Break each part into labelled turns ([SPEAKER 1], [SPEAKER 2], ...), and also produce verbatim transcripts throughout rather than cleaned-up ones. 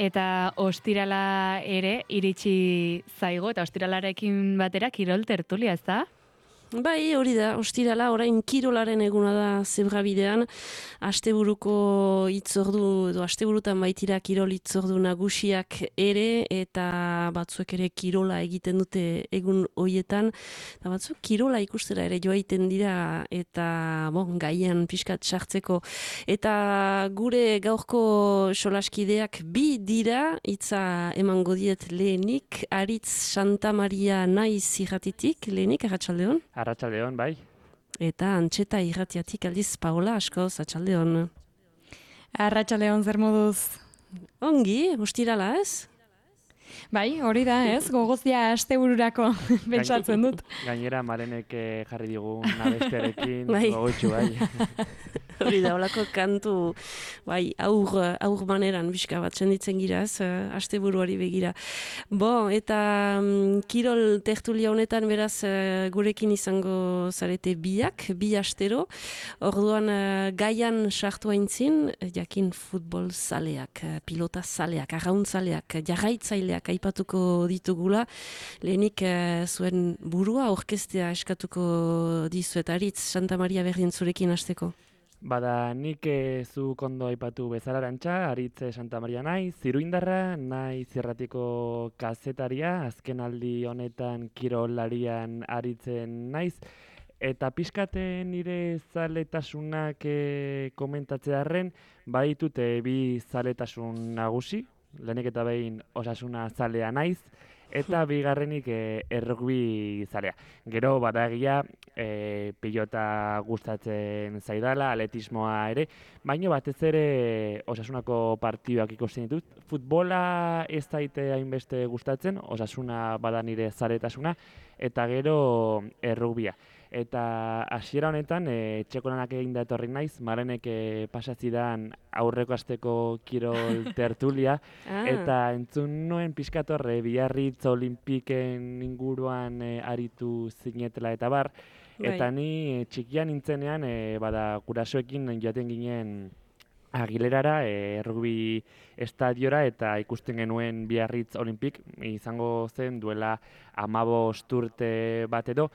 [SPEAKER 1] Eta ostirala ere iritsi zaigo, eta ostiralarekin batera kirol tertulia, ez da?
[SPEAKER 2] Bai, hori da, ostirala, orain kirolaren eguna da Zebrabidean, asteburuko hitzordu, edo asteburutan baitira kirol hitzordu nagusiak ere, eta batzuek ere kirola egiten dute egun hoietan, eta batzuk kirola ikustera ere joaiten dira, eta bon, gaian pixkat sartzeko. Eta gure gaurko solaskideak bi dira, hitza emango diet lehenik, Aritz Santa Maria naiz irratitik, lehenik, arratsaldeon.
[SPEAKER 3] Arratsaldeon, bai.
[SPEAKER 2] Eta Antxeta irratiatik aldiz Paola askoz, atxaldeon.
[SPEAKER 1] Arratsaldeon zer moduz?
[SPEAKER 2] Ongi, ostirala ez?
[SPEAKER 1] Bai, hori da, ez? Gogozia astebururako pentsatzen dut.
[SPEAKER 3] Gainera Marenek jarri digun abestearekin
[SPEAKER 2] Bai.
[SPEAKER 3] gogotsu, bai.
[SPEAKER 2] Hori da, holako kantu, bai, aur, aur maneran bizka bat senditzen gira, ez, asteburuari begira. Bo, eta um, kirol tertulia honetan beraz uh, gurekin izango zarete biak, bi astero. Orduan uh, gaian sartu aintzin, jakin futbol zaleak, uh, pilota zaleak, arraun zaleak, jarraitzaileak aipatuko ditugula. Lehenik uh, zuen burua orkestea eskatuko dizuet, Aritz Santa Maria berdin zurekin hasteko.
[SPEAKER 3] Bada, nik e, zu kondo aipatu bezala Arantxa, Aritz Santa Maria naiz, ziruindarra, naiz irratiko kazetaria, azken aldi honetan kirolarian aritzen naiz, eta pixkate nire zaletasunak e, komentatzearren, baditute bi zaletasun nagusi, lehenik eta behin Osasuna zalea naiz, eta bigarrenik e, errugbi zalea. Gero badagia e, pilota gustatzen zaidala, atletismoa ere, baina batez ere Osasunako partiduak ikusten ditut. Futbola ez daite hainbeste gustatzen, Osasuna bada nire zaletasuna, eta gero errugbia. Eta hasiera honetan, e, txekonanak egin da etorri naiz, Marenek e, pasatzidan aurreko asteko kirol tertulia,
[SPEAKER 2] Ah.
[SPEAKER 3] eta entzun nuen pixkatorre Biarritz Olimpiken inguruan e, aritu zinetela eta bar, eta
[SPEAKER 2] Bai.
[SPEAKER 3] ni e, txikian nintzenean, e, bada gurasoekin joaten ginen Agilerara, e, rugby estadiora, eta ikusten genuen Biarritz Olimpik, izango zen duela hamabost urte bat edo,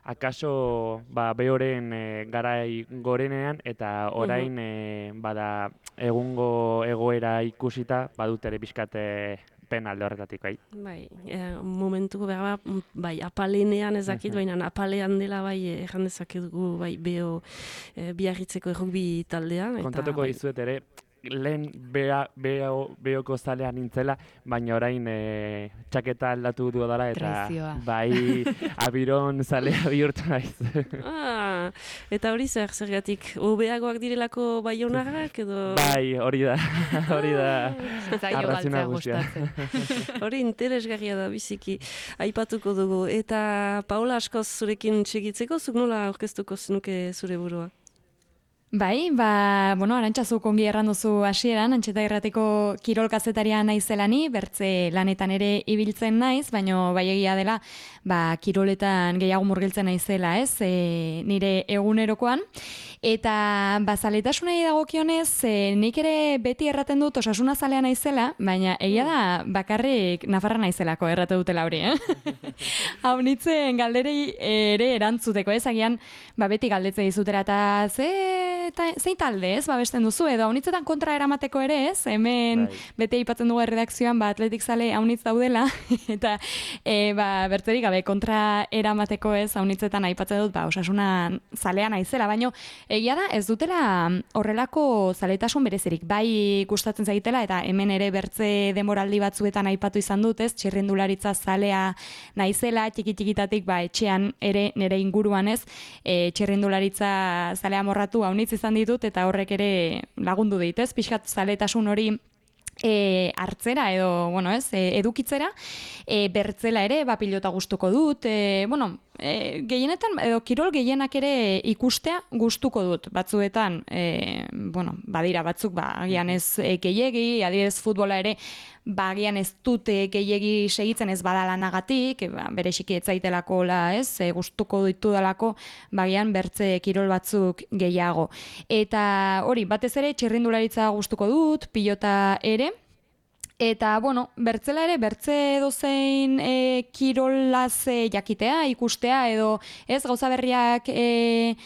[SPEAKER 3] akaso ba, behoren e, garai gorenean, eta orain e, bada egungo egoera ikusita badut ere pixkat e, pena alde horretatik, bai.
[SPEAKER 2] Bai, e, momentu behar, bai, apalenean ezakit, baina apalean dela bai erran dezakedugu bai beho e, Biarritzeko errugbi taldea. Eta,
[SPEAKER 3] Kontatuko
[SPEAKER 2] bai,
[SPEAKER 3] dizuet ere, lehen bea, beho, behoko zalean nintzela, baina orain e, txaketa aldatu du dara, eta
[SPEAKER 1] Traizioa.
[SPEAKER 3] bai abiron zalea bihurtu naiz.
[SPEAKER 2] Ah, eta hori zer, zergatik, hobeagoak direlako baionarrak edo...
[SPEAKER 3] Bai, hori da, hori da.
[SPEAKER 1] Zaio
[SPEAKER 3] arrazoi
[SPEAKER 1] galtzea
[SPEAKER 3] nagusia.
[SPEAKER 1] gustatzen.
[SPEAKER 2] Hori interesgarria da biziki aipatuko dugu. Eta Paola askoz zurekin txegitzeko, zuk nola aurkeztuko zenuke zure burua?
[SPEAKER 1] Bai, ba, bueno, Arantxa zuk ongi erran duzu hasieran, Antxeta irratiko kirol kazetaria naizelani, bertze lanetan ere ibiltzen naiz, baino bai egia dela, ba, kiroletan gehiago murgiltzen naizela, ez, e, nire egunerokoan. Eta bazaletasunei dagokionez, e, nik ere beti erraten dut Osasuna zalea naizela, baina egia da bakarrik Nafarra naizelako errate dutela hori, eh? Hau nitzen galderei ere erantzuteko, ez, agian, ba, beti galdetze dizutera, eta ze, eta, zein talde, ez, babesten duzu, edo haunitzetan kontra eramateko ere, ez, hemen
[SPEAKER 3] Bai.
[SPEAKER 1] beti aipatzen dugu erredakzioan, ba, atletik zale haunitz daudela, eta e, ba, bertzerik gabe kontra eramateko, ez, haunitzetan aipatzen dut, ba, Osasuna zalea naizela, baino egia da, ez dutela horrelako zaletasun berezirik, bai gustatzen zaitela, eta hemen ere bertze denboraldi batzuetan aipatu izan dut, ez, txirrindularitza zalea naizela, txiki-txikitatik, ba, etxean ere nire inguruan, ez, e, txirrindularitza zalea morratu haunitz izan ditut, eta horrek ere lagundu dit, ez, pixkat zaletasun hori E, hartzera edo, bueno, ez, e, edukitzera, e, bertzela ere, ba, pilota gustuko dut, e, bueno, e, gehienetan, edo kirol gehienak ere ikustea gustuko dut, batzuetan, e, bueno, badira batzuk, ba, agian ez e, gehiegi, adibidez futbola ere, ba, agian ez dut e, gehiegi segitzen ez badalanagatik, e, ba, bere xiki etzaitelako, la, ez, e, gustuko ditudalako, ba, agian bertze kirol batzuk gehiago. Eta hori, batez ere, txirrindularitza gustuko dut, pilota ere, Eta, bueno, bertzela ere, bertze dozein e, kirolaz e, jakitea, ikustea, edo ez gauza berriak, e,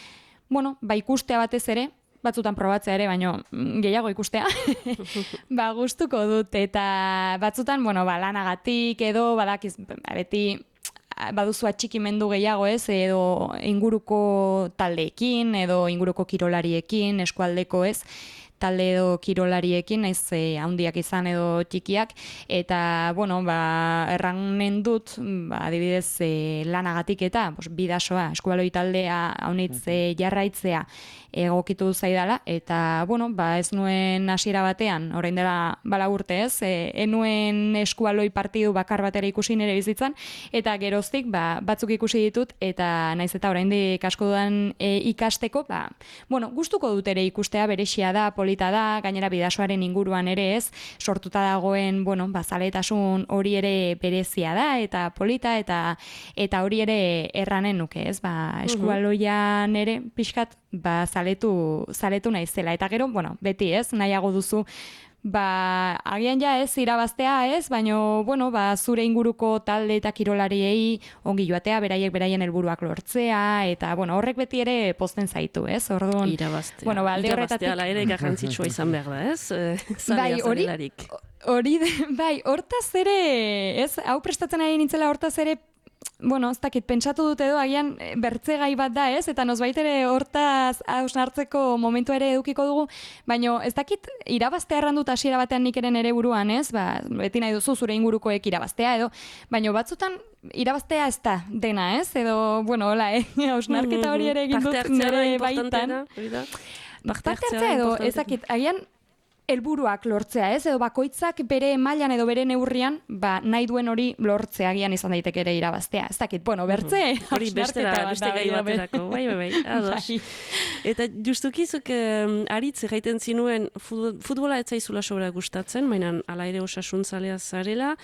[SPEAKER 1] bueno, ba ikustea batez ere, batzutan probatzea ere, baino gehiago ikustea, ba gustuko dut, eta batzutan, bueno, ba lanagatik edo, badakiz, beti, baduzu atxikimendu gehiago ez, edo inguruko taldeekin, edo inguruko kirolariekin, eskualdeko ez, talde edo kirolariekin, naiz e, handiak izan edo txikiak, eta, bueno, ba, erranen dut, ba, adibidez, e, lanagatik eta, pues, bidasoa, eskubaloi taldea, haunitz e, jarraitzea, egokitu zaidala, eta, bueno, ba, ez nuen hasiera batean, orain dela bala urte ez, e, enuen eskubaloi partidu bakar batera ikusi nire bizitzan, eta geroztik, ba, batzuk ikusi ditut, eta naiz eta oraindik asko dudan e, ikasteko, ba, bueno, gustuko dut ere ikustea, berexia da, polita da, gainera bidasoaren inguruan ere ez, sortuta dagoen, bueno, ba, zaletasun hori ere berezia da, eta polita, eta eta hori ere erranen nuke, ez, ba, eskualoian ere, pixkat, ba, zaletu, zaletu naizela. Eta gero, bueno, beti ez, nahiago duzu, ba, agian ja ez, irabaztea ez, baino, bueno, ba, zure inguruko talde eta kirolariei ongi joatea, beraiek beraien helburuak lortzea, eta, bueno, horrek beti ere pozten zaitu, ez, orduan.
[SPEAKER 2] Irabaztea.
[SPEAKER 1] Bueno, ba, alde horretatik.
[SPEAKER 2] Irabaztea, la ere garrantzitsua izan behar da, ez? Zalea,
[SPEAKER 1] bai, hori,
[SPEAKER 2] zalelarik.
[SPEAKER 1] hori, bai, hortaz ere, ez, hau prestatzen ari nintzela hortaz ere, bueno, ez dakit, pentsatu dut edo, agian bertze gai bat da, ez? Eta nozbait ere hortaz hausnartzeko momentu ere edukiko dugu, baino ez dakit irabaztea errandut hasiera batean nik eren ere buruan, ez? Ba, beti nahi duzu zure ingurukoek irabaztea edo, baino batzutan irabaztea ez da dena, ez? Edo, bueno, hola, eh? Hausnarketa hori ere egin dut nire baitan. Parte hartzea edo, ez dakit, agian helburuak lortzea, ez? Edo bakoitzak bere mailan edo bere neurrian, ba, nahi duen hori lortzea agian izan daiteke ere irabaztea. Ez dakit, bueno, bertze,
[SPEAKER 2] hori bestera, beste gai baterako, bai, bai, bai, ados. Eta justukizuk um, aritz egiten zinuen futbola ez zaizula sobra gustatzen, mainan ala ere osasuntzailea zarela,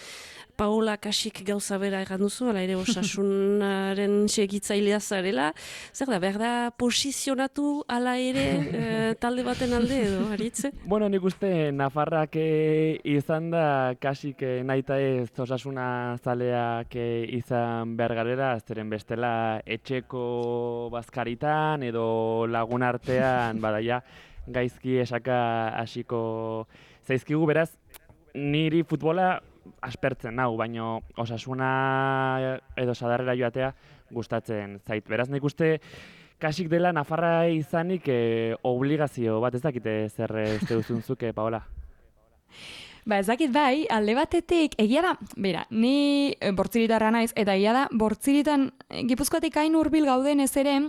[SPEAKER 2] Paola Kasik gauza bera egan duzu, ala ere osasunaren segitzailea zarela. Zer da, behar da posizionatu ala ere e, talde baten alde edo, aritze?
[SPEAKER 3] Bueno, nik uste Nafarrak e, izan da Kasik e, naita ez osasuna zaleak e, izan behar garera, zeren bestela etxeko bazkaritan edo lagun artean, badaia, gaizki esaka hasiko zaizkigu, beraz, niri futbola aspertzen nau, baino osasuna edo sadarrera joatea gustatzen zait. Beraz, nik uste Kasik dela Nafarra izanik e, obligazio bat, ez dakite zer uste duzunzuk, Paola?
[SPEAKER 1] Ba, ez dakit bai, alde batetik, egia da, bera, ni bortziritarra naiz, eta egia da, bortziritan Gipuzkoatik hain hurbil gauden ez ere,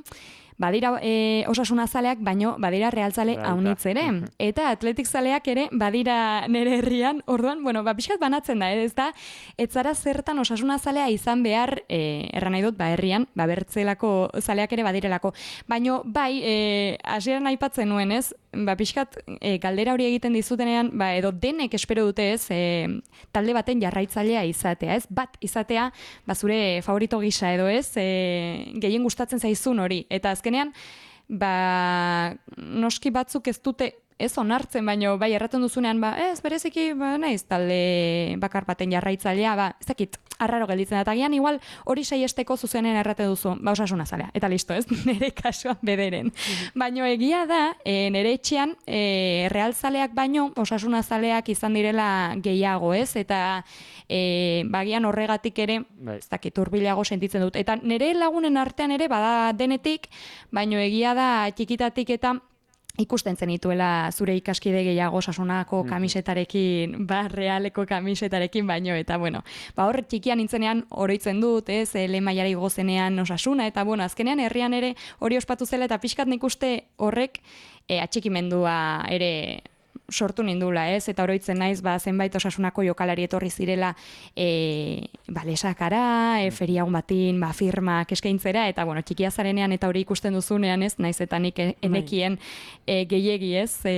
[SPEAKER 1] badira e, osasuna zaleak, baino badira realzale haunitz ere. Eta atletik zaleak ere badira nere herrian, orduan, bueno, ba, pixkat banatzen da, ez da, ez zara zertan osasuna zalea izan behar, e, erran nahi dut, ba, herrian, ba, bertzelako zaleak ere badirelako. Baino, bai, e, hasieran aipatzen nuen, ez, ba, pixkat e, galdera hori egiten dizutenean, ba, edo denek espero dute, ez, e, talde baten jarraitzailea izatea, ez, bat izatea, ba, zure favorito gisa edo, ez, e, gehien gustatzen zaizun hori, eta azkenean, ba, noski batzuk ez dute, ez onartzen, baino, bai, erraten duzunean, ba, ez, bereziki, ba, naiz, talde bakar baten jarraitzailea, ba, ez dakit, arraro gelditzen da, eta gian, igual, hori saiesteko zuzenen erraten duzu, ba, osasuna zalea, eta listo, ez, nire kasuan bederen. Baino, egia da, e, nire etxean, e, realzaleak baino, osasuna zaleak izan direla gehiago, ez, eta e, bagian horregatik ere, ez dakit, hurbilago sentitzen dut, eta nire lagunen artean ere, bada denetik, baino, egia da, txikitatik eta ikusten zenituela zure ikaskide gehiago osasunako kamisetarekin, ba, realeko kamisetarekin baino, eta bueno, ba, hor txikian nintzenean oroitzen dut, ez, lehen mailara igozenean osasuna, eta bueno, azkenean herrian ere hori ospatu zela, eta pixkat nik uste horrek e, atxikimendua ere sortu nindula, ez, eta oroitzen naiz, ba, zenbait osasunako jokalari etorri zirela e, ba, lesakara, e, feriagun batin, ba, firmak eskaintzera, eta bueno, txikia zarenean eta hori ikusten duzunean, ez, naiz eta nik enekien e, gehiegi, ez, e,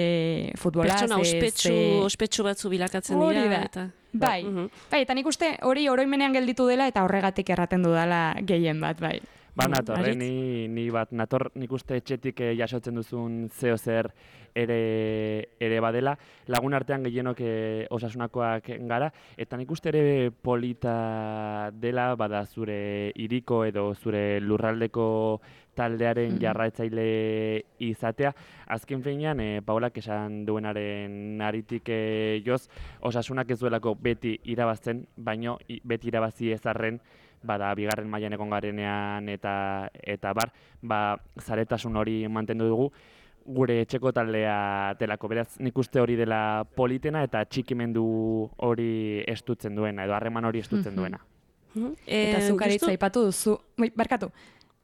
[SPEAKER 1] futbolaz.
[SPEAKER 2] Pertsona ospetsu, e, ospetsu batzu bilakatzen dira.
[SPEAKER 1] Da.
[SPEAKER 2] Eta...
[SPEAKER 1] Bai, uh-huh. bai, eta nik uste hori oroimenean gelditu dela, eta horregatik erraten dudala gehien bat, bai.
[SPEAKER 3] Ba, nator, eh,
[SPEAKER 2] Aritz?
[SPEAKER 3] ni, ni bat, nator nik uste etxetik eh, jasotzen duzun zeo zer ere, ere badela, lagun artean gehienok eh, osasunakoak gara, eta nik uste ere polita dela, bada zure hiriko edo zure lurraldeko taldearen
[SPEAKER 1] Mhm.
[SPEAKER 3] jarraitzaile izatea. Azken finean, eh, Paolak esan duenaren aritik eh, joz, osasunak ez duelako beti irabazten, baino i- beti irabazi ezarren, bada bigarren mailan egon garenean eta eta bar, ba zaretasun hori mantendu dugu gure etxeko taldea delako. Beraz, nik uste hori dela politena eta txikimendu hori estutzen duena edo harreman hori estutzen
[SPEAKER 1] Mhm.
[SPEAKER 3] duena.
[SPEAKER 2] Mhm.
[SPEAKER 1] Eta
[SPEAKER 2] Eh,
[SPEAKER 1] zuk aritz
[SPEAKER 2] justu-
[SPEAKER 1] aipatu duzu, bai, barkatu,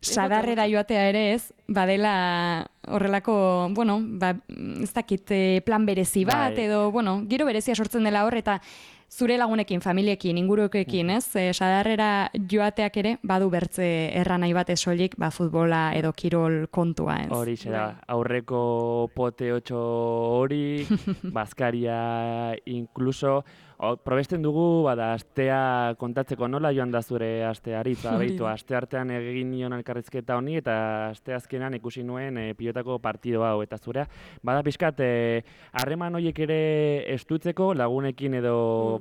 [SPEAKER 1] sadarrera joatea ere ez, badela horrelako, bueno, ba, ez dakit eh, plan berezi bat,
[SPEAKER 3] Bai.
[SPEAKER 1] edo, bueno, giro berezia sortzen dela hor, eta zure lagunekin, familiekin, ingurukekin, ez? E, sadarrera joateak ere, badu bertze erra nahi bat soilik, ba, futbola edo kirol kontua, ez?
[SPEAKER 3] Hori da, aurreko poteotxo hori, bazkaria inkluso, o, probesten dugu, bada, astea kontatzeko nola joan da zure astea aritza,
[SPEAKER 1] Hori
[SPEAKER 3] behitu,
[SPEAKER 1] da.
[SPEAKER 3] aste artean egin nion elkarrizketa honi, eta aste azkenan ikusi nuen e, pilotako partido hau, eta zurea, bada pixkat, eh, harreman horiek ere estutzeko, lagunekin edo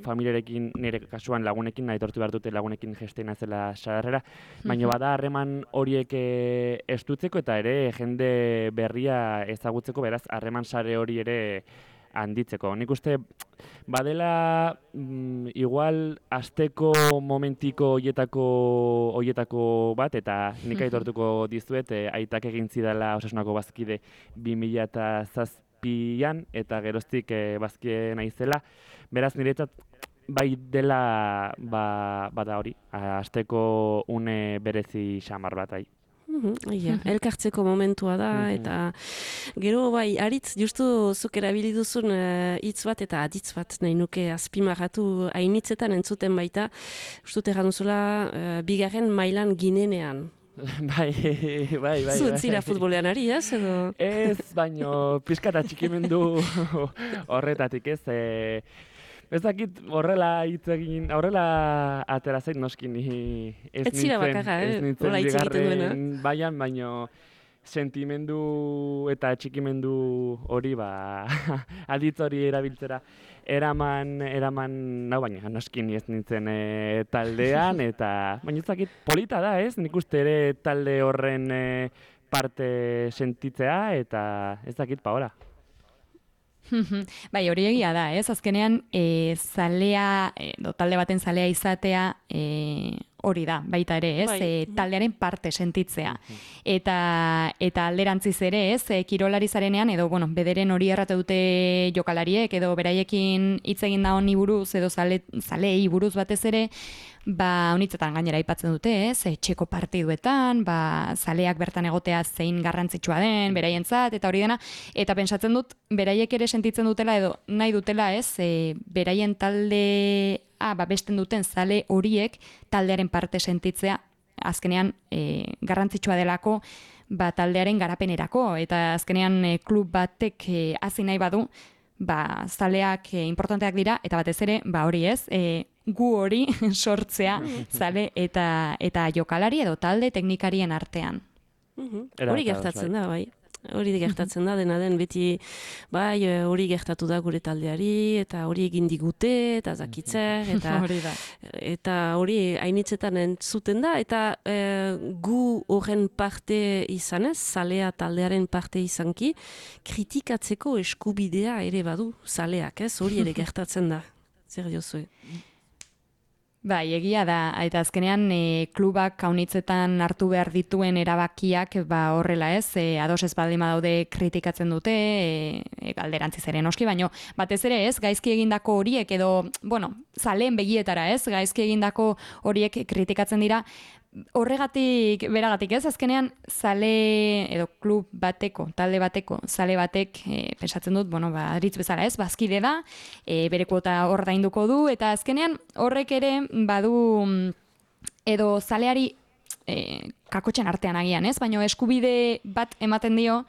[SPEAKER 3] familiarekin, nire kasuan lagunekin, nahi tortu behar dute lagunekin gesteina zela sadarrera, baina bada harreman horiek eh, estutzeko eta ere jende berria ezagutzeko, beraz, harreman sare hori ere handitzeko. Nik uste badela mm, igual asteko momentiko hoietako hoietako bat, eta nik aitortuko dizuet, eh, aitak egin zidala Osasunako bazkide bi mila zazpian, eta geroztik eh, bazkide naizela. Beraz, niretzat bai dela ba, bada hori, asteko une berezi xamar bat ai.
[SPEAKER 2] Mhm, ia, elkartzeko momentua da,
[SPEAKER 3] Mhm.
[SPEAKER 2] eta gero bai, aritz, justu zuk erabili duzun eh, hitz bat eta aditz bat nahi nuke azpimarratu hainitzetan entzuten baita, ustut erran duzula eh, bigarren mailan ginenean.
[SPEAKER 3] bai, bai, bai.
[SPEAKER 2] Zu
[SPEAKER 3] bai.
[SPEAKER 2] zira futbolean ari, ez? Edo...
[SPEAKER 3] Ez, baino pixka eta txikimendu horretatik, ez? E, ez dakit horrela hitz egin, horrela atera zait noski ni ez
[SPEAKER 2] Ez zira
[SPEAKER 3] nintzen,
[SPEAKER 2] bakarra, eh?
[SPEAKER 3] ez nintzen
[SPEAKER 2] Hola hitz egiten duena.
[SPEAKER 3] bigarren baian, baino sentimendu eta txikimendu hori, ba, aditz hori erabiltzera eraman, eraman, nau baina noski ni ez nintzen e, taldean, eta baina ez dakit polita da, ez? Nik uste ere talde horren e, parte sentitzea, eta ez dakit Paola.
[SPEAKER 1] Bai, hori egia da, ez? Azkenean, e, zalea, edo talde baten zalea izatea, e, hori da, baita ere, ez?
[SPEAKER 2] Bai.
[SPEAKER 1] E, taldearen parte sentitzea. Eta, eta alderantziz ere, ez? E, kirolari zarenean, edo, bueno, bederen hori errate dute jokalariek, edo beraiekin hitz egin da honi buruz, edo zale, zaleei buruz batez ere, ba, honitzetan gainera aipatzen dute, ez? Etxeko partiduetan, ba, zaleak bertan egotea zein garrantzitsua den, beraientzat, eta hori dena, eta pentsatzen dut, beraiek ere sentitzen dutela, edo nahi dutela, ez? E, beraien talde, ah, ba, besten duten zale horiek taldearen parte sentitzea, azkenean e, garrantzitsua delako, ba, taldearen garapenerako, eta azkenean e, klub batek e, hasi nahi badu, ba, zaleak e, importanteak dira, eta batez ere, ba, hori ez, e, gu hori sortzea zale eta eta jokalari edo talde teknikarien artean.
[SPEAKER 2] Mhm.
[SPEAKER 3] Era
[SPEAKER 2] Hori
[SPEAKER 3] bat ados,
[SPEAKER 2] gertatzen da, bai. Hori gertatzen da, dena den beti, bai, eh, hori gertatu da gure taldeari, eta hori egin digute, eta zakitzer, eta
[SPEAKER 1] Hori da.
[SPEAKER 2] eta hori hainitzetan entzuten da, eta eh, gu horren parte izanez, zalea taldearen parte izanki, kritikatzeko eskubidea ere badu zaleak, ez? Hori ere gertatzen da. Zer diozue?
[SPEAKER 1] Bai, egia da, eta azkenean e, klubak kaunitzetan hartu behar dituen erabakiak ba horrela ez, e, ados ez baldin badaude kritikatzen dute, e, e, alderantziz ere noski, baino batez ere ez, gaizki egindako horiek edo, bueno, zaleen begietara ez, gaizki egindako horiek kritikatzen dira, horregatik, beragatik ez, azkenean zale edo klub bateko, talde bateko, zale batek, e, pensatzen dut, bueno, ba, aritz bezala ez, bazkide da, e, bere kuota ordainduko du, eta azkenean horrek ere badu edo zaleari e, kakotxen artean agian ez, baina eskubide bat ematen dio,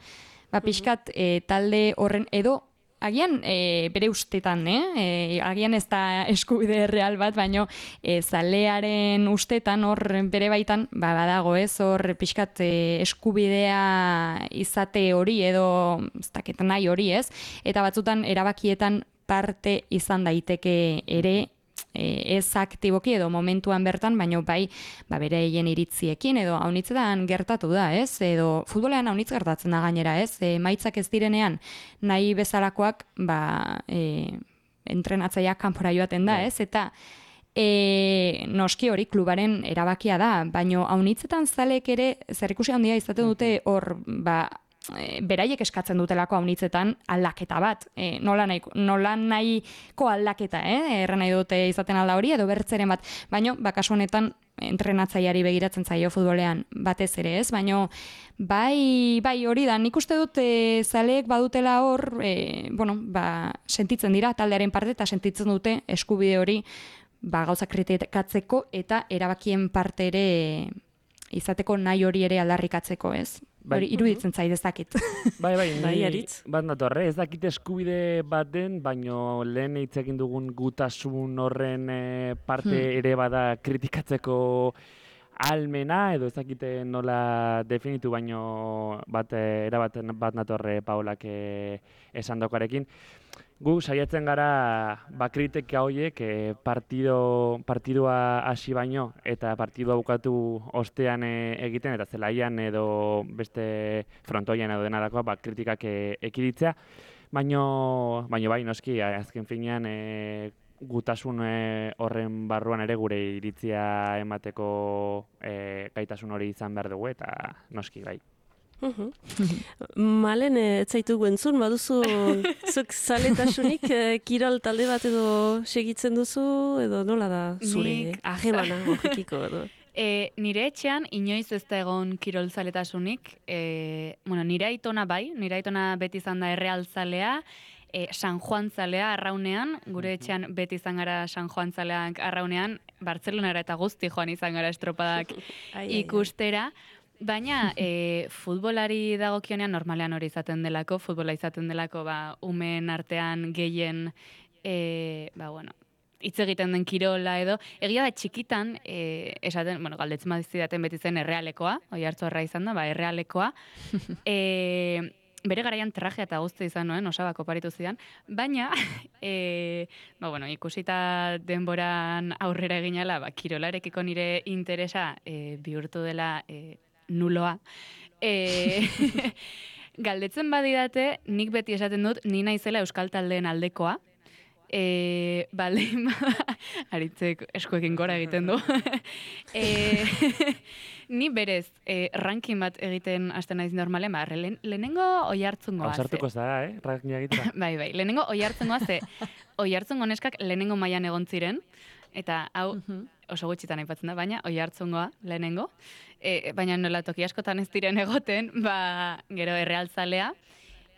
[SPEAKER 1] ba, pixkat e, talde horren edo agian e, bere ustetan, eh? E, agian ez da eskubide real bat, baino e, zalearen ustetan hor bere baitan, ba, badago ez, hor pixkat e, eskubidea izate hori edo ez dakit nahi hori ez, eta batzutan erabakietan parte izan daiteke ere, ez aktiboki edo momentuan bertan, baino bai ba, bere hien iritziekin edo haunitzetan gertatu da, ez? Edo futbolean haunitz gertatzen da gainera, ez? E, maitzak ez direnean nahi bezalakoak ba, e, entrenatzaileak kanpora joaten da, ez? Eta e, noski hori klubaren erabakia da, baino haunitzetan zalek ere zerikusi handia izaten dute hor ba, E, beraiek eskatzen dutelako haunitzetan aldaketa bat. E, nola, nahi, nola nahiko aldaketa, eh? Erra nahi dute izaten alda hori, edo bertzeren bat. Baina, bakasu honetan, entrenatzaileari begiratzen zaio futbolean batez ere, ez? Baina, bai, bai hori da, nik uste dut e, zaleek badutela hor, e, bueno, ba, sentitzen dira taldearen parte, eta sentitzen dute eskubide hori ba, gauza kritikatzeko eta erabakien parte ere izateko nahi hori ere aldarrikatzeko, ez?
[SPEAKER 3] Bai.
[SPEAKER 1] Hori iruditzen zait ez dakit.
[SPEAKER 3] Bai, bai,
[SPEAKER 2] Bai,
[SPEAKER 3] ni
[SPEAKER 2] Aritz.
[SPEAKER 3] bat natorre, ez dakit eskubide bat den, baino lehen hitz egin dugun gutasun horren eh, parte
[SPEAKER 1] Hmm.
[SPEAKER 3] ere bada kritikatzeko almena, edo ez dakite nola definitu, baino bat, eh, era bat, bat natorre Paolak eh, esandakoarekin. Gu saiatzen gara ba, kritika horiek eh, partido, partidua hasi baino eta partidua bukatu ostean eh, egiten eta zelaian edo beste frontoian edo denarakoa ba, kritikak eh, ekiditzea. Baino, baino bai, noski, azken finean eh, gutasun eh, horren barruan ere gure iritzia emateko eh, gaitasun hori izan behar dugu eta noski bai.
[SPEAKER 2] Mhm. Malen, eh, ez zaitugu entzun, baduzu zuk zaletasunik eh, kirol talde bat edo segitzen duzu, edo nola da zure
[SPEAKER 4] Nik-
[SPEAKER 2] ahemana horrekiko edo?
[SPEAKER 4] E, nire etxean inoiz ez da egon kirolzaletasunik. E, bueno, nire aitona bai, nire aitona beti izan da errealzalea, e, San Juan zalea arraunean, gure etxean beti izan gara San Juan zaleak arraunean, Bartzelonara eta guzti joan izan gara estropadak
[SPEAKER 2] Ai, ai, ai.
[SPEAKER 4] ikustera. Baina e, futbolari dagokionean normalean hori izaten delako, futbola izaten delako ba, umeen artean gehien e, ba, bueno, hitz egiten den kirola edo. Egia da txikitan, e, esaten, bueno, galdetzen bazidaten beti zen errealekoa, oi hartzorra izan da, ba, errealekoa. E, bere garaian trajea eta guzti izan nuen, osabako paritu zidan, baina, e, ba, bueno, ikusita denboran aurrera eginala, ba, kirolarekiko nire interesa e, bihurtu dela e, nuloa. E, galdetzen badidate, nik beti esaten dut, ni naizela euskal taldeen aldekoa. E, bale, aritzek eskuekin gora egiten du. e, ni berez, e, ranking bat egiten hasten naiz normalen, ba, lehen, lehenengo oi hartzungoa.
[SPEAKER 3] Ausartuko zara, eh? Rankinga egitera.
[SPEAKER 4] Bai, bai, lehenengo oi hartzungoa ze, oi hartzungo neskak lehenengo mailan egon ziren, eta hau oso gutxitan aipatzen da, baina oi hartzungoa lehenengo. E, baina nola toki askotan ez diren egoten, ba, gero errealzalea.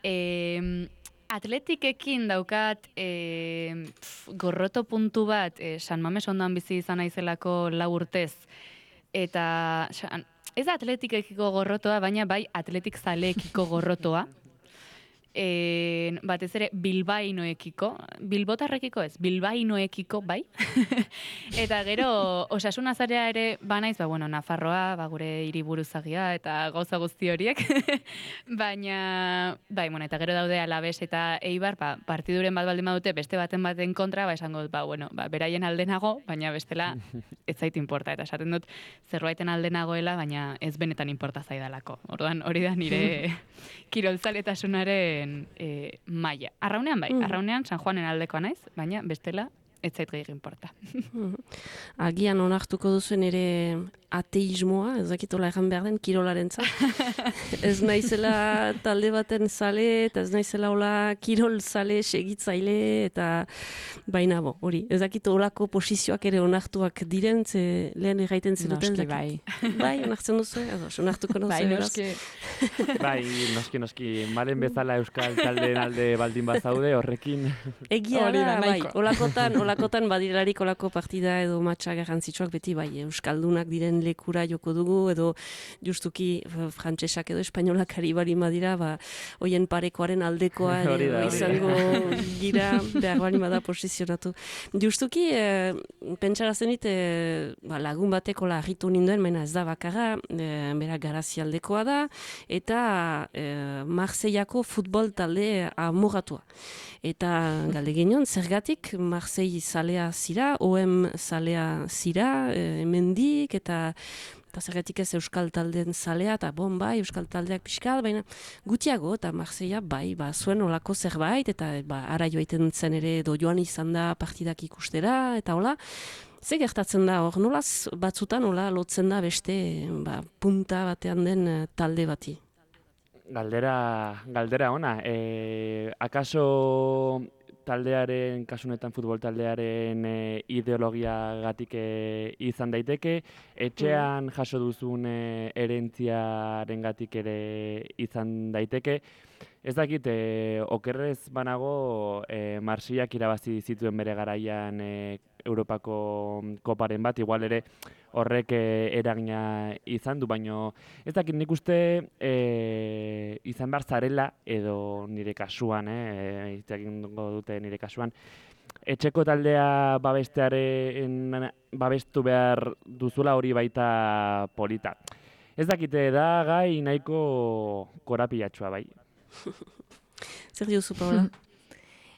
[SPEAKER 4] E, Atletikekin daukat e, pf, gorroto puntu bat, e, San Mames ondan bizi izan naizelako lau urtez. Eta san, ez da atletikekiko gorrotoa, baina bai atletik zaleekiko gorrotoa. E, batez ere bilbainoekiko, bilbotarrekiko ez, bilbainoekiko bai. Eta gero Osasun azarea ere banaiz, ba, bueno, Nafarroa, ba, gure hiriburuzagia eta gauza guzti horiek. Baina, bai, bueno, eta gero daude Alabes eta Eibar, ba, partiduren bat baldin badute beste baten baten kontra, ba, esango dut, ba, bueno, ba, beraien aldenago, baina bestela ez zait inporta. Eta esaten dut zerbaiten aldenagoela, baina ez benetan inporta zaidalako. Orduan, hori da nire kirolzaletasunaren E, maila. Arraunean bai, arraunean San Juanen aldekoa naiz, baina bestela ez zait gehiago inporta.
[SPEAKER 2] Agian onartuko duzuen ere ateismoa, ez dakitola egan behar den, kirolaren zat. Ez naizela talde baten zale, eta ez naizela hola kirol zale, segitzaile, eta baina bo, hori. Ez dakito holako posizioak ere onartuak diren, ze lehen erraiten zenuten.
[SPEAKER 1] Noski bai.
[SPEAKER 2] Bai, onartzen duzu, edo, onartuko duzu.
[SPEAKER 1] Bai,
[SPEAKER 2] beraz.
[SPEAKER 1] noski.
[SPEAKER 3] Bai, noski, noski, malen bezala euskal taldeen alde baldin bazaude, horrekin.
[SPEAKER 2] Egia
[SPEAKER 1] Hori
[SPEAKER 2] da,
[SPEAKER 1] da,
[SPEAKER 2] bai,
[SPEAKER 1] nahiko.
[SPEAKER 2] olakotan, olakotan badirarik olako partida edo matxa garrantzitsuak beti bai, euskaldunak diren lekura joko dugu, edo justuki frantsesak edo espainolak ari bari madira, ba, hoien parekoaren aldekoa
[SPEAKER 3] Hori da, hori da.
[SPEAKER 2] izango gira, behar bali bada posizionatu. Justuki, e, pentsara zenit, e, ba, lagun bateko larritu ninduen, baina ez da bakarra, e, bera garazialdekoa da, eta e, Marseillako futbol talde amoratua. Eta galde genion, zergatik Marseille zalea zira, O M zalea zira, e, hemendik, eta eta zergatik ez euskal taldeen zalea, eta bon bai, euskal taldeak pixkat, baina gutiago, eta Marseilla bai, ba, zuen olako zerbait, eta ba, ara joaiten zen ere, edo joan izan da partidak ikustera, eta hola, ze gertatzen da hor, nolaz batzutan hola lotzen da beste ba, punta batean den eh, talde bati?
[SPEAKER 3] Galdera, galdera ona. E, akaso taldearen, kasunetan futbol taldearen e, ideologiagatik e, izan daiteke, etxean jaso duzun e, erentziarengatik ere izan daiteke. Ez dakit, e, okerrez banago e, Marseillak irabazi zituen bere garaian e, Europako koparen bat, igual ere horrek e, eragina izan du, baino ez dakit nik uste e, izan behar zarela, edo nire kasuan, eh, izteakingo dute nire kasuan, etxeko taldea babestearen babestu behar duzula hori baita polita. Ez dakite da gai nahiko korapilatxua bai.
[SPEAKER 2] Zer diozu, Paula?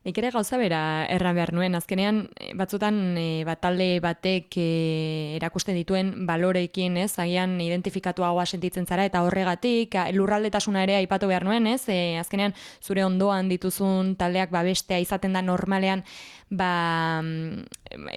[SPEAKER 1] Nik ere gauza bera erran behar nuen, azkenean batzutan e, bat talde batek e, erakusten dituen baloreekin, ez, agian identifikatuagoa sentitzen zara, eta horregatik lurraldetasuna ere aipatu behar nuen, ez, e, azkenean zure ondoan dituzun taldeak babestea izaten da normalean, ba,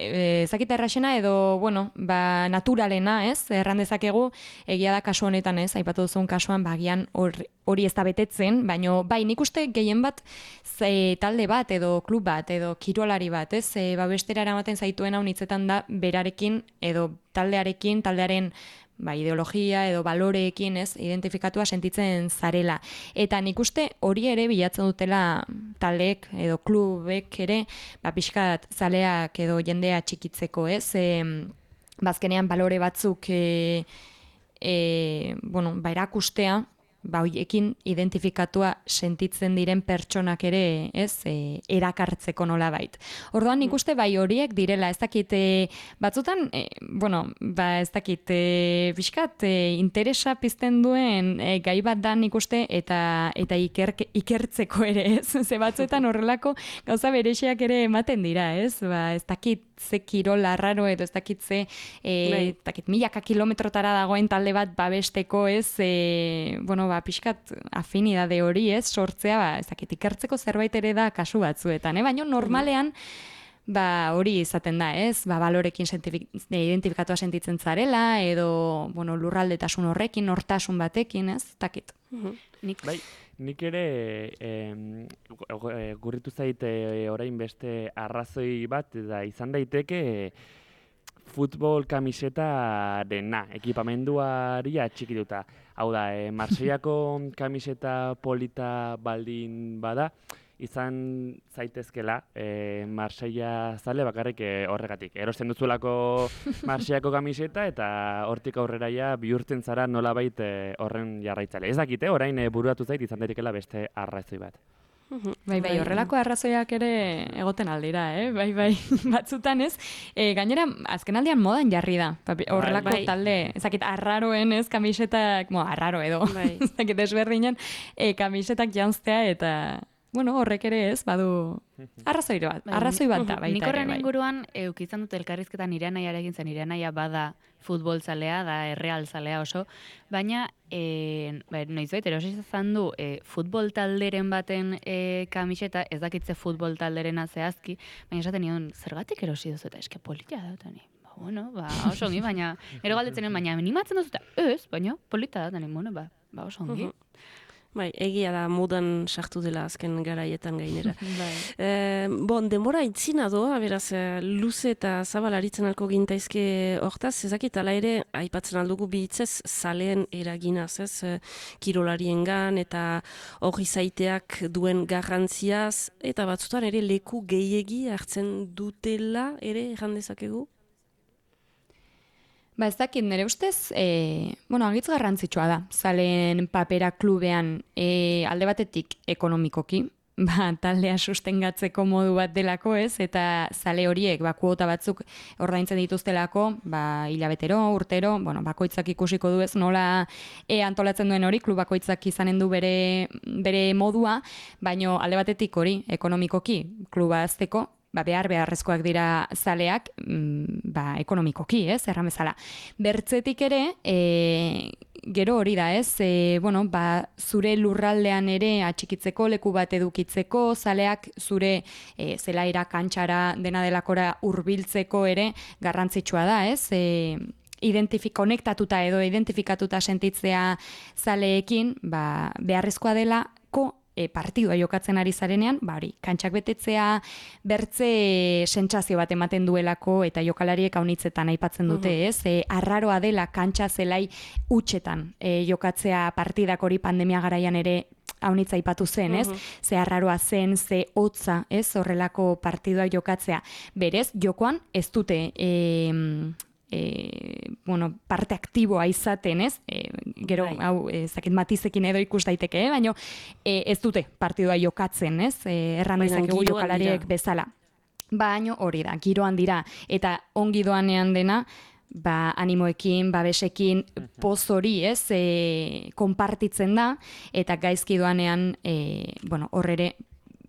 [SPEAKER 1] ezakita erraxena edo, bueno, ba, naturalena, ez, erran dezakegu, egia da kasu honetan, ez, aipatu duzun kasuan, ba, agian hori hori ez da betetzen, baina bai, nik uste gehien bat ze, talde bat edo klub bat edo kirolari bat, ez, e, babestera eramaten zaituen hau hitzetan da berarekin edo taldearekin, taldearen ba, ideologia edo baloreekin, ez, identifikatua sentitzen zarela. Eta nik uste hori ere bilatzen dutela taldeek edo klubek ere, ba, pixkat zaleak edo jendea txikitzeko, ez, e, bazkenean balore batzuk e, e, bueno, ba, erakustea, ba, hoiekin identifikatua sentitzen diren pertsonak ere, ez, e, erakartzeko nolabait. Orduan nik uste bai horiek direla, ez dakit, e, batzutan, e, bueno, ba ez dakit, e, pixkat, e, interesa pizten duen e, gai bat da nik uste, eta eta iker, ikertzeko ere, ez, ze batzuetan horrelako gauza berexiak ere ematen dira, ez, ba ez dakit, ze kirol arraro edo ez dakit ze e, ez dakit, milaka kilometrotara dagoen talde bat babesteko, ez, e, bueno, ba, pixkat afinidade hori, ez, sortzea, ba, ez dakit, ikertzeko zerbait ere da kasu batzuetan, eh? Baina normalean, ba, hori izaten da, ez, ba, balorekin identifikatua sentitzen zarela, edo, bueno, lurraldetasun horrekin, nortasun batekin, ez, ez dakit.
[SPEAKER 3] Nik, bai, nik ere eh, gurritu zaite orain beste arrazoi bat, da izan daiteke futbol kamiseta dena, ekipamenduari atxikituta. Hau da, e, Marseillako kamiseta polita baldin bada, izan zaitezkela e, Marseilla zale bakarrik e, horregatik. Erosten duzulako Marseillako kamiseta eta hortik aurreraia bihurtzen zara nolabait e, horren jarraitzale. Ez dakite, orain e, bururatu zait izan daitekeela beste arrazoi bat.
[SPEAKER 1] Bai, bai, horrelako arrazoiak ere egoten aldira, eh? Bai, bai, batzutan ez. E, gainera, azken aldian modan jarri da. Horrelako bai, talde, ezakit, arraroen ez, kamisetak, mo, arraro edo, bai. Ezakit, desberdinen, e, kamisetak janztea eta, bueno, horrek ere ez, badu arrazoi bat, arrazoi bat da, baita ere,
[SPEAKER 4] nik horren
[SPEAKER 1] bai.
[SPEAKER 4] inguruan, eukizan dut elkarrizketan nire nahiarekin zen, nire nahia bada futbol zalea, da erreal zalea oso, baina e, ba, noizbait erosi izan du e, futbol talderen baten e, kamiseta, ez dakitze futbol talderena zehazki, baina esaten nion, zergatik erosi duzu eta eske polita da, eta ni, ba, bueno, ba, oso ongi, baina, ero galdetzen baina animatzen duzu eta ez, baina polita da, eta ni, bueno, ba, ba oso ongi.
[SPEAKER 2] Bai, egia da modan sartu dela azken garaietan gainera.
[SPEAKER 1] Bai.
[SPEAKER 2] E, bon, denbora itzina doa, beraz, luze eta zabal aritzen alko gintaizke hortaz, ezakit, ala ere, aipatzen aldugu bihitzez, zaleen eraginaz, ez, kirolariengan eta hori zaiteak duen garrantziaz, eta batzutan ere leku gehiegi hartzen dutela, ere, erran dezakegu?
[SPEAKER 1] Ba ez dakit, nire ustez, e, bueno, agitz garrantzitsua da, zaleen papera klubean e, alde batetik ekonomikoki, ba, taldea sustengatzeko modu bat delako ez, eta zale horiek, ba, kuota batzuk ordaintzen dituztelako, ba, hilabetero, urtero, bueno, bakoitzak ikusiko du ez, nola e, antolatzen duen hori, klub bakoitzak izanen du bere, bere modua, baino alde batetik hori, ekonomikoki, kluba azteko, ba, behar beharrezkoak dira zaleak, mm, ba, ekonomikoki, ez, erran bezala. Bertzetik ere, e, gero hori da, ez, e, bueno, ba, zure lurraldean ere atxikitzeko, leku bat edukitzeko, zaleak zure e, zelaira, kantxara, dena delakora hurbiltzeko ere garrantzitsua da, ez, e, identifik, konektatuta edo identifikatuta sentitzea zaleekin, ba, beharrezkoa delako, E, partidua jokatzen ari zarenean, ba hori, kantxak betetzea, bertze sentsazio bat ematen duelako eta jokalariek haunitzetan aipatzen dute, uh-huh. ez? E, arraroa dela kantxa zelai utxetan e, jokatzea partidak hori pandemia garaian ere haunitza aipatu zen, ez? Uh-huh. Ze arraroa zen, ze hotza, ez? Horrelako partidua jokatzea. Berez, jokoan ez dute E, E, bueno, parte aktiboa izaten, ez? E, gero,
[SPEAKER 2] Bai.
[SPEAKER 1] hau, ezakit matizekin edo ikus daiteke, eh? Baina e, ez dute partidua jokatzen, ez? E, erran dezakegu jokalariek bezala. Baina hori da, giroan dira. Eta ongi doanean dena, ba, animoekin, babesekin, poz hori, ez? E, konpartitzen da, eta gaizki doanean, e, bueno, horrere,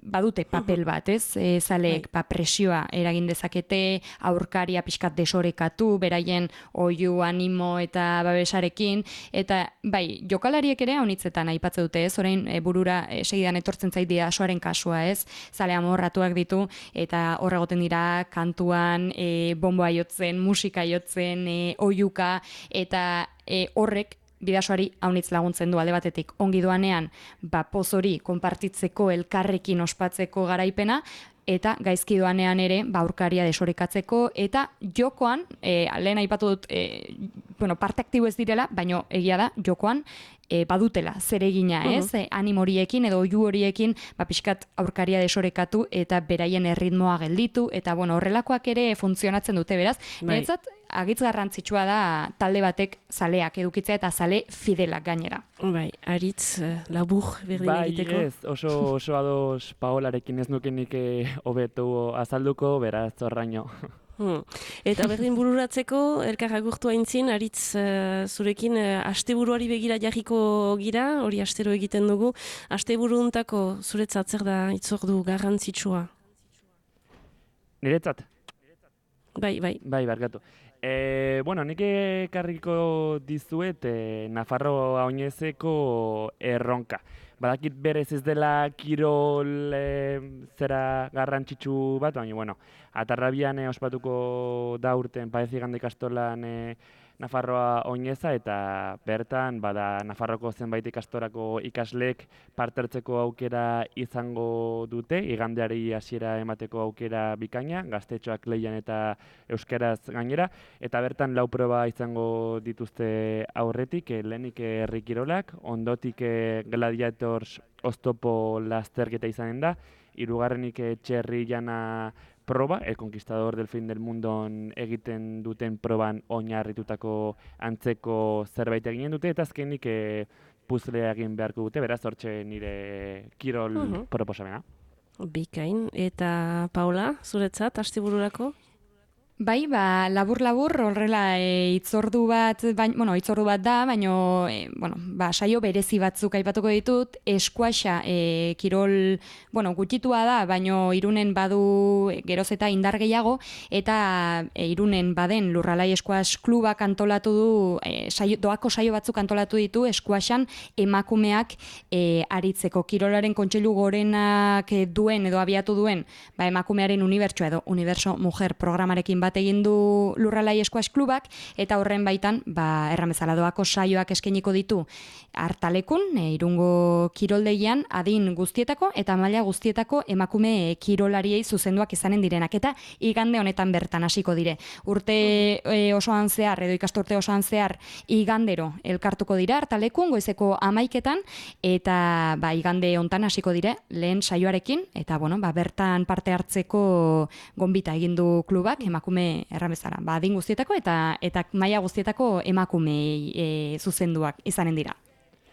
[SPEAKER 1] badute papel bat, ez? E, zaleek ba, presioa eragin dezakete, aurkaria pixkat desorekatu, beraien oiu, animo eta babesarekin, eta bai, jokalariek ere haunitzetan aipatzen dute, ez? Orain e, burura e, segidan etortzen zait didasoaren kasua, ez? Zale amorratuak ditu, eta horregoten dira kantuan, e, bomboa jotzen, musika jotzen, e, oiuka, eta e, horrek bidasoari haunitz laguntzen du alde batetik ongi doanean, ba, poz hori konpartitzeko, elkarrekin ospatzeko garaipena, eta gaizki doanean ere, ba, aurkaria desorekatzeko, eta jokoan, e, lehen aipatu dut, e, bueno, parte aktibo ez direla, baino egia da, jokoan, e, badutela, zeregina, ez? Uh-huh. E, animoriekin edo oiu horiekin, ba, pixkat aurkaria desorekatu, eta beraien erritmoa gelditu, eta, bueno, horrelakoak ere funtzionatzen dute, beraz,
[SPEAKER 2] bai.
[SPEAKER 1] Beretzat, agitz garrantzitsua da talde batek zaleak edukitzea eta zale fidelak gainera.
[SPEAKER 2] Bai, aritz uh, labur berdin
[SPEAKER 3] bai,
[SPEAKER 2] egiteko.
[SPEAKER 3] Ez, oso, oso ados Paolarekin ez nukenik hobetu azalduko, beraz, zorraino.
[SPEAKER 2] Hmm. Eta berdin bururatzeko, elkar agurtu aintzin, aritz uh, zurekin uh, asteburuari begira jarriko gira, hori astero egiten dugu. Asteburuuntako zuretzat zer da itzordu garrantzitsua?
[SPEAKER 3] Niretzat?
[SPEAKER 2] Bai, bai.
[SPEAKER 3] Bai, barkatu. E, bueno, nik ekarriko dizuet e, Nafarro Oinezeko erronka. Badakit berez ez dela kirol e, zera garrantzitsu bat, baina, bueno, Atarrabian e, ospatuko da urten Paezigan ikastolan e, Nafarroa Oineza, eta bertan bada Nafarroko zenbait ikastorako ikasleek parte hartzeko aukera izango dute, igandeari hasiera emateko aukera bikaina, gaztetxoak leian eta euskaraz gainera, eta bertan lau proba izango dituzte aurretik, eh, lehenik herri kirolak, ondotik eh, gladiators oztopo lasterketa izanen da, hirugarrenik eh, txerri jana proba, El Conquistador del Fin del Mundon egiten duten proban oinarritutako antzeko zerbait eginen dute, eta azkenik e, puzlea egin beharko dute, beraz hortxe nire kirol uh-huh. proposamena.
[SPEAKER 2] Bikain, eta Paula, zuretzat, astebururako?
[SPEAKER 1] Bai, ba, labur-labur, horrela e, itzordu bat, bain, bueno, itzordu bat da, baina, e, bueno, ba, saio berezi batzuk aipatuko ditut, eskuaxa, e, kirol, bueno, gutxitua da, baina Irunen badu geroz eta indar gehiago, eta e, Irunen baden Lurralai Eskuax klubak antolatu du, e, saio, doako saio batzuk antolatu ditu, eskuaxan emakumeak e, aritzeko. Kirolaren kontseilu gorenak duen edo abiatu duen, ba, emakumearen unibertsoa edo Universo Mujer programarekin bat egin du Lurralai Squash Klubak, eta horren baitan, ba, erramezala doako saioak eskainiko ditu Artalekun, e, Irungo kiroldegian, adin guztietako eta maila guztietako emakume kirolariei zuzenduak izanen direnak, eta igande honetan bertan hasiko dire. Urte e, osoan zehar, edo ikasturte osoan zehar, igandero elkartuko dira Artalekun, goizeko amaiketan, eta ba, igande hontan hasiko dire, lehen saioarekin, eta bueno, ba, bertan parte hartzeko gonbita egin du klubak, emakume erramezara. Ba, adin guztietako eta eta maila guztietako emakumei e, zuzenduak izanen dira.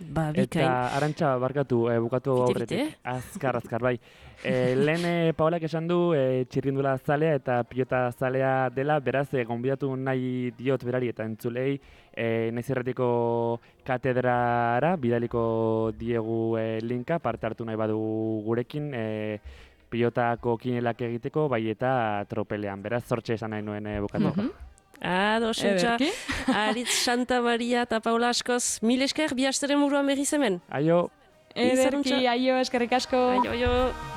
[SPEAKER 2] Ba, bikain.
[SPEAKER 3] Eta Arantxa, barkatu, e, bukatu
[SPEAKER 2] Bite,
[SPEAKER 3] aurretik.
[SPEAKER 2] bite.
[SPEAKER 3] Azkar, azkar, bai. E, lehen e, Paolak esan du e, txirrindula zalea eta pilota zalea dela, beraz, e, gonbidatu nahi diot berari eta entzulei, e, naiz erratiko katedrara, bidaliko diegu e, linka, parte hartu nahi badu gurekin, e, pilotako kinelak egiteko, bai eta tropelean. Beraz, zortxe esan nahi nuen e, bukatu.
[SPEAKER 1] Mhm.
[SPEAKER 2] Ado, sentxa, Aritz Santa Maria eta Paula askoz, mil esker, bi asteren buruan berriz hemen.
[SPEAKER 3] Aio!
[SPEAKER 1] Ederki, aio, eskerrik asko.
[SPEAKER 2] Aio, aio.